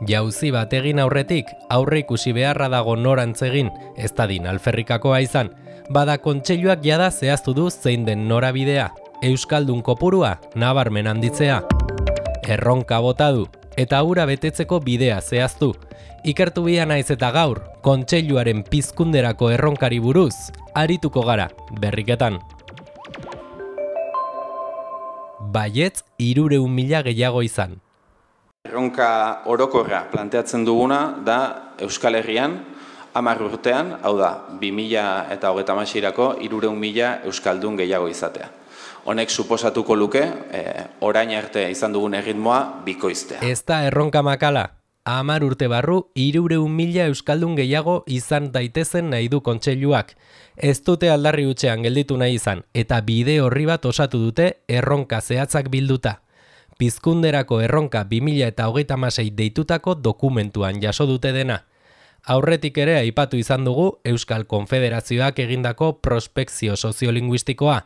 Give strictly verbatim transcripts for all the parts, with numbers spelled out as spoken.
Jauzi bat egin aurretik, aurre ikusi beharra dago norantz egin, ez dadin alferrikakoa izan, bada kontseiluak jada zehaztu du zein den norabidea, euskaldun kopurua nabarmen handitzea. Erronka bota du, eta hura betetzeko bidea zehaztu. Ikertu bia naiz eta gaur, kontseiluaren pizkunderako erronkari buruz, arituko gara, berriketan. Baietz hirurehun mila gehiago izan. Erronka orokorra planteatzen duguna da Euskal Herrian hamar urtean, hau da, bi mila hogeita hamaseirako hirurehun mila euskaldun gehiago izatea. Honek suposatuko luke, eh, orain arte izan dugun erritmoa bikoiztea. Ez da erronka makala. Hamar urte barru hirurehun mila euskaldun gehiago izan daitezen nahi du kontseiluak. Ez dute aldarri hutsean gelditu nahi izan, eta bide horri bat osatu dute erronka zehatzak bilduta. Pizkunderako erronka bi mila hogeita hamasei deitutako dokumentuan jaso dute dena. Aurretik ere aipatu izan dugu Euskal Konfederazioak egindako prospekzio soziolinguistikoa.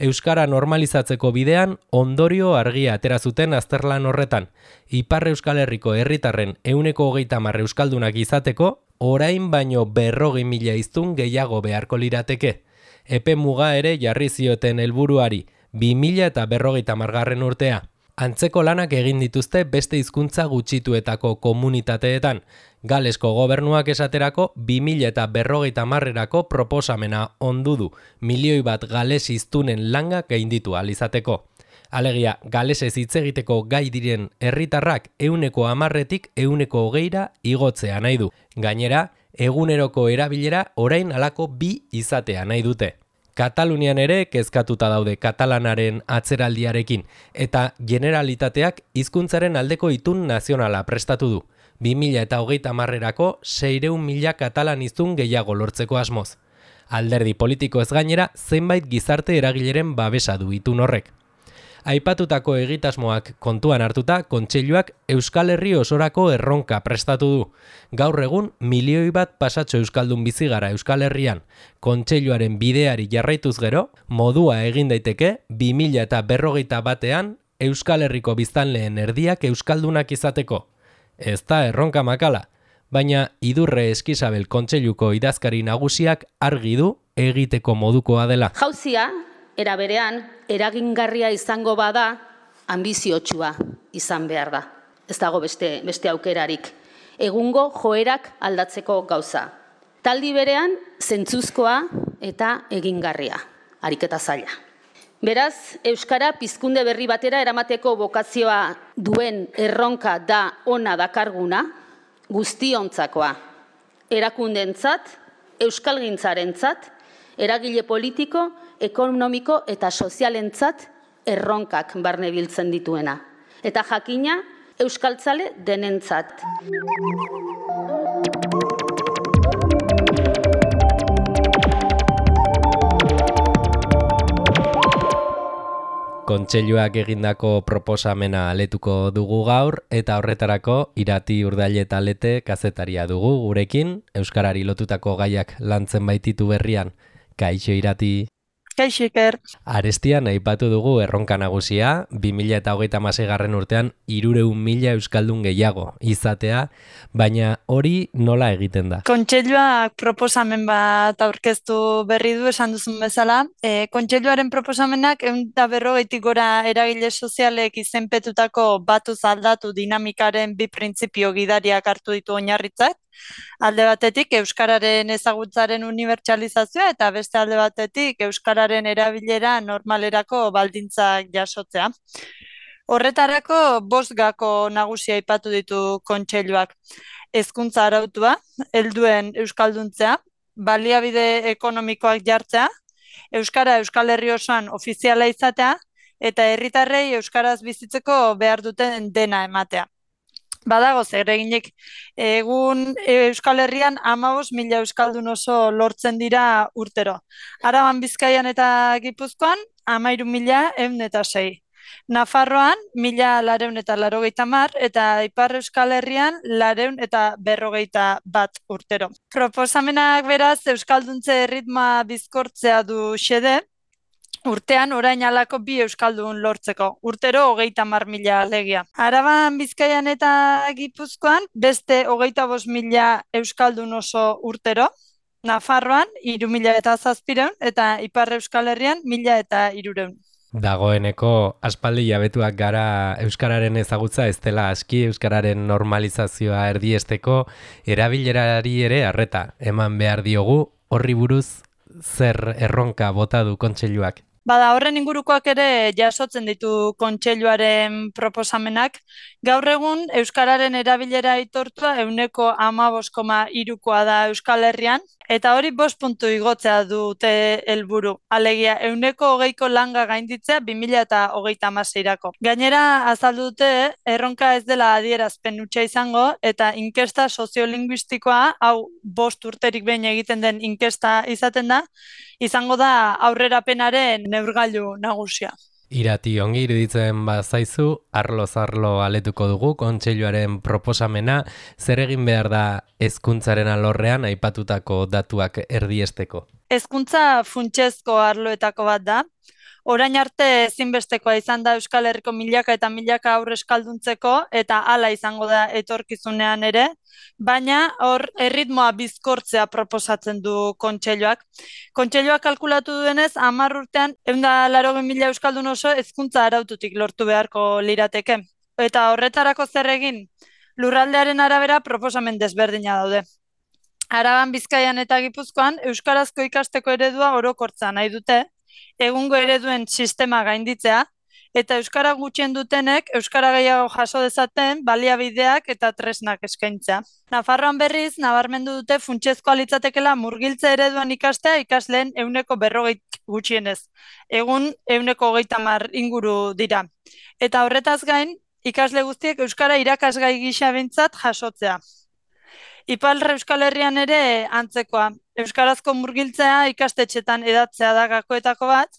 Euskara normalizatzeko bidean ondorio argia atera zuten azterlan horretan. Ipar Euskal Herriko herritarren ehuneko hogeita hamar euskaldunak izateko, orain baino berrogei mila hiztun gehiago beharko lirateke. Epe muga ere jarri zioten helburuari, bi mila berrogeita hamargarren urtea. Antzeko lanak egin dituzte beste hizkuntza gutxituetako komunitateetan. Galesko gobernuak esaterako bi mila berrogeita hamarrerako proposamena ondu du, milioi bat gales hiztunen langa gainditu ahal izateko. Alegia, galesez hitz egiteko gai diren herritarrak ehuneko hamarretik ehuneko hogeira igotzea nahi du. Gainera, eguneroko erabilera orain halako bi izatea nahi dute. Katalunian ere kezkatuta daude katalanaren atzeraldiarekin, eta generalitateak hizkuntzaren aldeko itun nazionala prestatu du. bi mila hogeita hamarrerako seiehun mila katalan hiztun gehiago lortzeko asmoz. Alderdi politiko ez gainera zenbait gizarte eragileren babesa du itun horrek. Aipatutako egitasmoak kontuan hartuta, kontseiluak Euskal Herri osorako erronka prestatu du. Gaur egun milioi bat pasatxo euskaldun bizi gara Euskal Herrian. Kontseiluaren bideari jarraituz gero, modua egin daiteke bi mila berrogeita batean Euskal Herriko biztanleen erdiak euskaldunak izateko. Ez da erronka makala, baina Idurre Eskizabel kontseiluko idazkari nagusiak argi du egiteko modukoa dela. Jauzia, era berean, eragingarria izango bada, ambiziotsua izan behar da. Ez dago beste, beste aukerarik. Egungo joerak aldatzeko gauza. Taldi berean, zentzuzkoa eta egingarria, ariketa zaila. Beraz, Euskara pizkunde berri batera eramateko bokazioa duen erronka da ona dakarguna, guztiontzakoa. Erakundentzat, euskalgintzarentzat, eragile politiko, ekonomiko eta sozialentzat erronkak barne biltzen dituena. Eta jakina, euskaltzale denentzat. Kontseiluak egindako proposamena aletuko dugu gaur, eta horretarako Irati Urdaile Talete kazetaria dugu gurekin, euskarari lotutako gaiak lantzen baititu berrian. Kaixo Irati. Kaixo Iker. Arestian aipatu dugu erronka nagusia, bi mila hogeita hamaseigarren urtean hirurehun mila euskaldun gehiago izatea, baina hori nola egiten da? Kontseiluak proposamen bat aurkeztu berri du esan duzun bezala. E, kontseiluaren proposamenak ehun eta berrogeitik gora eragile sozialek izenpetutako batuz aldatu dinamikaren bi printzipio gidariak hartu ditu oinarritzat. Alde batetik euskararen ezagutzaren unibertsalizazioa eta beste alde batetik euskararen erabilera normalerako baldintzak jasotzea. Horretarako bost gako nagusia aipatu ditu kontseiluak. Hezkuntza arautua, helduen euskalduntzea, baliabide ekonomikoak jartzea, euskara Euskal Herri osoan ofiziala izatea eta herritarrei euskaraz bizitzeko behar duten dena ematea. Badago zereginik, egun Euskal Herrian hamabost mila euskaldun oso lortzen dira urtero. Araban, Bizkaian eta Gipuzkoan hamairu mila ehun eta sei. Nafarroan mila lareun eta laurogeita hamar eta Ipar Euskal Herrian lareun eta berrogeita bat urtero. Proposamenak beraz euskalduntze erritmoa bizkortzea du xede, urtean orain alako bi euskaldun lortzeko, urtero hogeita hamar mila alegia. Araban, Bizkaian eta Gipuzkoan beste hogeita bost mila euskaldun oso urtero, Nafarroan hiru mila eta zazpireun eta Ipar Euskal Herrian mila eta hirureun. Dagoeneko aspaldi jabetuak gara euskararen ezagutza ez dela aski, euskararen normalizazioa erdiesteko erabilerari ere arreta eman behar diogu, horri buruz zer erronka bota du kontseiluak. Bada, horren ingurukoak ere jasotzen ditu kontseiluaren proposamenak. Gaur egun euskararen erabilera aitortua ehuneko hamabost koma hirukoa da Euskal Herrian, eta hori bost puntu igotzea dute helburu. Alegia, ehuneko hogeiko langa gainditzea bi mila eta hogeita hamaseirako. Gainera, azaldu dute erronka ez dela adierazpen hutsa izango, eta inkesta soziolinguistikoa, hau bost urterik behin egiten den inkesta izaten da, izango da aurrerapenaren neurgailu nagusia. Irati, ongi iruditzen bazaizu, arloz arlo aletuko dugu kontseiluaren proposamena, zer egin behar da hezkuntzaren alorrean aipatutako datuak erdiesteko? Hezkuntza funtsezko arloetako bat da. Orain arte ezinbestekoa izan da Euskal Herriko milaka eta milaka haur euskalduntzeko, eta hala izango da etorkizunean ere, baina hor erritmoa bizkortzea proposatzen du kontseiluak. Kontseiluak kalkulatu duenez, hamar urtean ehun eta laurogei mila euskaldun oso hezkuntza araututik lortu beharko lirateke. Eta horretarako zer egin? Lurraldearen arabera proposamen desberdina daude. Araban, Bizkaian eta Gipuzkoan euskarazko ikasteko eredua orokortza nahi dute, egungo ereduen sistema gainditzea, eta euskara gutxien dutenek euskara gehiago jaso dezaten baliabideak eta tresnak eskaintzea. Nafarroan berriz, nabarmendu dute funtsezkoa litzatekela murgiltze ereduan ikastea ikasleen ehuneko berrogei gutxienez. Egun ehuneko hogeita hamar inguru dira. Eta horretaz gain, ikasle guztiek euskara irakasgai gisa behintzat jasotzea. Ipar Euskal Herrian ere antzekoa. Euskarazko murgiltzea ikastetxetan edatzea da gakoetako bat,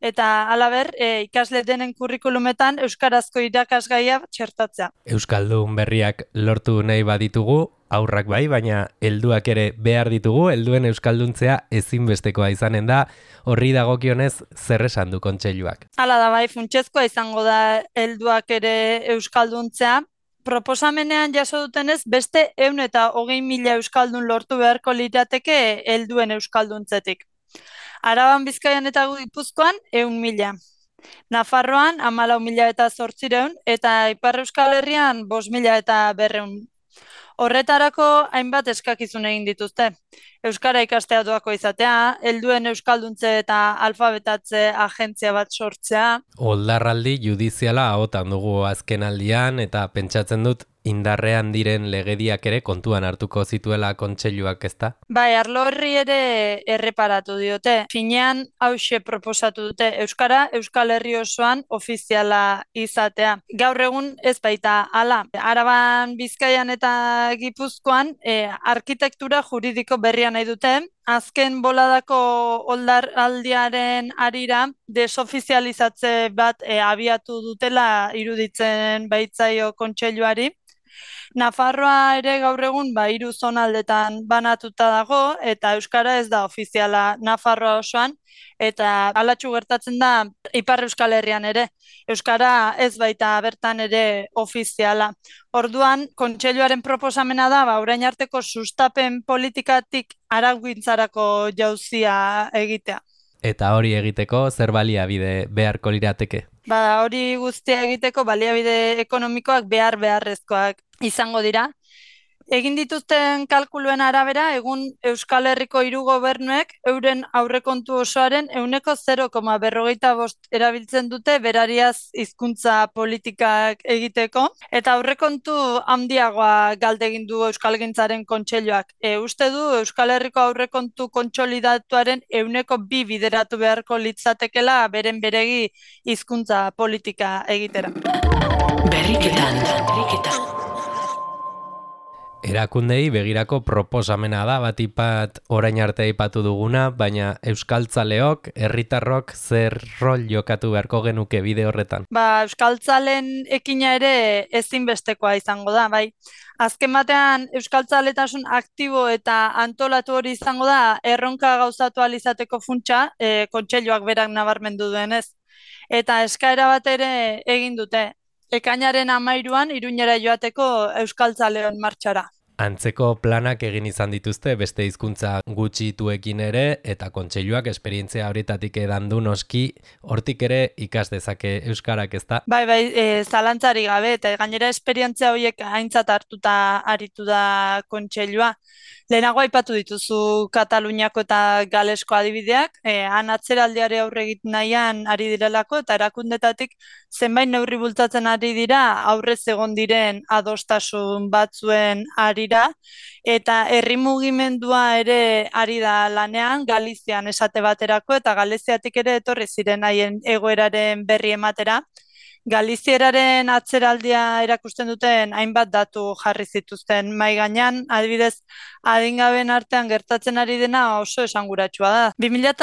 eta halaber, e, ikasle denen kurrikulumetan euskarazko irakasgaia txertatzea. Euskaldun berriak lortu nahi baditugu, aurrak bai, baina helduak ere behar ditugu, helduen euskalduntzea ezinbestekoa izanen da, horri dagokionez zer esan du kontseiluak. Hala da bai, funtsezkoa izango da helduak ere euskalduntzea. Proposamenean jaso dutenez, beste ehun eta hogei mila euskaldun lortu beharko lirateke helduen euskalduntzetik. Araban, Bizkaian eta Gipuzkoan ehun mila. Nafarroan hamalau mila eta zortzireun eta Ipar Euskal Herrian bost mila eta berreun. Horretarako hainbat eskakizun egin dituzte. Euskara ikastea doako izatea, helduen euskalduntze eta alfabetatze agentzia bat sortzea. Oldarraldi judiziala ahotan dugu azken aldian eta pentsatzen dut indarrean diren legediak ere kontuan hartuko zituela kontseiluak, ezta? Bai, arlo horri ere erreparatu diote. Finean hauxe proposatu dute euskara Euskal Herri osoan ofiziala izatea. Gaur egun ez baita hala. Araban, Bizkaian eta Gipuzkoan e, arkitektura juridiko berria nahi dute. Azken boladako oldaraldiaren arira desofizializatze bat e, abiatu dutela iruditzen baitzaio kontseiluari. Nafarroa ere gaur egun ba hiru zonaldetan banatuta dago eta euskara ez da ofiziala Nafarroa osoan eta halatsu gertatzen da Ipar Euskal Herrian ere. Euskara ez baita bertan ere ofiziala. Orduan, kontseiluaren proposamena da ba orain arteko sustapen politikatik araugintzarako jauzia egitea. Eta hori egiteko zer baliabide beharko lirateke? Ba, hori guztia egiteko baliabide ekonomikoak behar beharrezkoak izango dira. Egin dituzten kalkuluen arabera, egun Euskal Herriko hiru gobernuek euren aurrekontu osoaren ehuneko zero koma berrogeita bost erabiltzen dute berariaz hizkuntza politikak egiteko, eta aurrekontu handiagoa galde egin du Euskalgintzaren kontseiluak. E, uste du Euskal Herriko aurrekontu kontsolidatuaren ehuneko bi bideratu beharko litzatekela beren beregi hizkuntza politika egitera. Berriketan, berriketan. Erakundei begirako proposamena da, batipat orain arte aipatu duguna, baina euskaltzaleok, herritarrok zer rol jokatu beharko genuke bide horretan? Ba, euskaltzalen ekina ere ezinbestekoa izango da, bai. Azken batean euskaltzaletasun aktibo eta antolatu hori izango da erronka gauzatu ahal izateko funtsa, e, kontseiluak berak nabarmendu duenez. Eta eskaera bat ere egin dute. Ekainaren hamairuan Iruñera joateko euskaltzaleon martxara. Antzeko planak egin izan dituzte beste hizkuntza gutxituekin ere, eta kontseiluak esperientzia horietatik edan du noski, hortik ere ikas dezake euskarak, ezta? Bai, bai, e, zalantzari gabe, eta gainera esperientzia horiek aintzat hartuta aritu da kontseilua. Lehenago aipatu dituzu Kataluniako eta Galesko adibideak, e, han atzeraldiare aurre egiten nahian ari direlako, eta erakundetatik zenbait neurri bultzatzen ari dira aurrez egon diren adostasun batzuen arira, eta herri mugimendua ere ari da lanean Galizian esate baterako, eta Galiziatik ere etorri ziren haien egoeraren berri ematera. Galizieraren atzeraldia erakusten duten hainbat datu jarri zituzten mahai gainean, adibidez, adingabeen artean gertatzen ari dena oso esanguratsua da. bi mila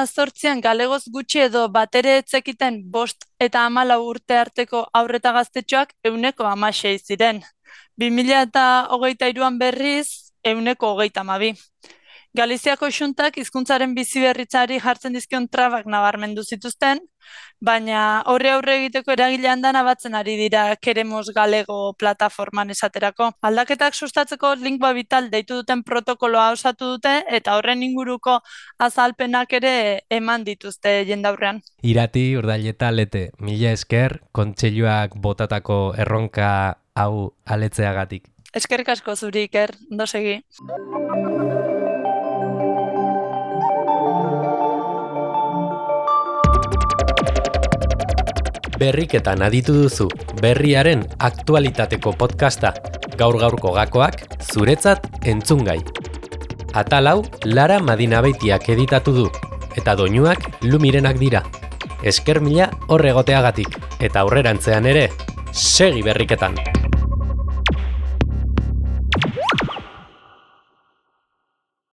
zortzian galegoz gutxi edo batere etzekiten bost eta hamalau urte arteko haur eta gaztetxoak ehuneko hamasei ziren. bi mila hogeita hiruan berriz ehuneko hogeita hamabi. Galiziako xuntak hizkuntzaren biziberritzari jartzen dizkion trabak nabarmendu zituzten, baina horre aurre egiteko eragilean dana batzen ari dira Queremos Galego plataforman esaterako. Aldaketak sustatzeko Lingua Vital deitu duten protokoloa osatu dute, eta horren inguruko azalpenak ere eman dituzte jendaurrean. Irati, Urdaileta, Lete, mila esker, kontseiluak botatako erronka hau aletzeagatik. Eskerrik asko zuri, Iker, ondo segi. Berriketan aditu duzu, berriaren aktualitateko podcasta, gaur-gaurko gakoak, zuretzat entzungai. Atal hau, Lara Madinabeitiak editatu du, eta doinuak Lumirenak dira. Esker mila horregoteagatik, eta aurrerantzean ere, segi berriketan!